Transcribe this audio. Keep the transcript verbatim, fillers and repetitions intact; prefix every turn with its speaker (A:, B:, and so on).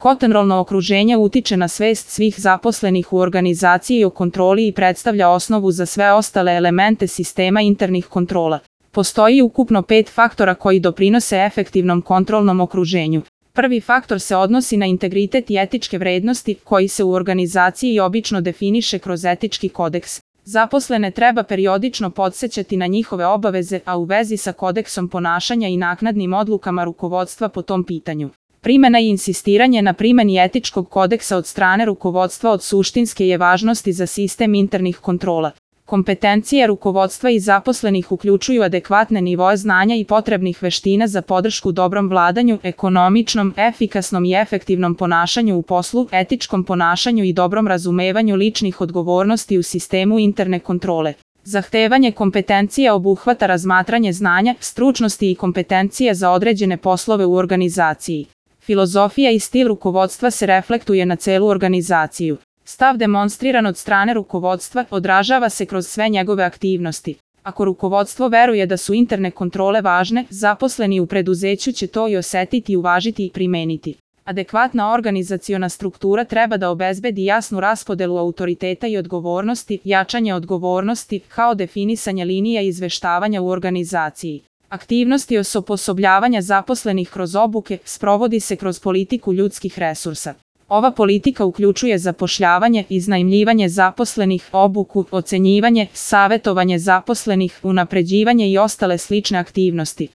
A: Kontrolno okruženje utiče na svest svih zaposlenih u organizaciji o kontroli i predstavlja osnovu za sve ostale elemente sistema internih kontrola. Postoji ukupno pet faktora koji doprinose efektivnom kontrolnom okruženju. Prvi faktor se odnosi na integritet i etičke vrednosti, koji se u organizaciji obično definiše kroz etički kodeks. Zaposlene treba periodično podsećati na njihove obaveze, a u vezi sa kodeksom ponašanja i naknadnim odlukama rukovodstva po tom pitanju. Primena i insistiranje na primeni etičkog kodeksa od strane rukovodstva od suštinske je važnosti za sistem internih kontrola. Kompetencije rukovodstva i zaposlenih uključuju adekvatne nivoe znanja i potrebnih veština za podršku dobrom vladanju, ekonomičnom, efikasnom i efektivnom ponašanju u poslu, etičkom ponašanju i dobrom razumevanju ličnih odgovornosti u sistemu interne kontrole. Zahtevanje kompetencija obuhvata razmatranje znanja, stručnosti i kompetencije za određene poslove u organizaciji. Filozofija i stil rukovodstva se reflektuje na celu organizaciju. Stav demonstriran od strane rukovodstva odražava se kroz sve njegove aktivnosti. Ako rukovodstvo veruje da su interne kontrole važne, zaposleni u preduzeću će to i osetiti, uvažiti i primeniti. Adekvatna organizaciona struktura treba da obezbedi jasnu raspodelu autoriteta i odgovornosti, jačanje odgovornosti, kao definisanje linija izveštavanja u organizaciji. Aktivnosti osposobljavanja zaposlenih kroz obuke sprovodi se kroz politiku ljudskih resursa. Ova politika uključuje zapošljavanje, iznajmljivanje zaposlenih, obuku, ocenjivanje, savetovanje zaposlenih, unapređivanje i ostale slične aktivnosti.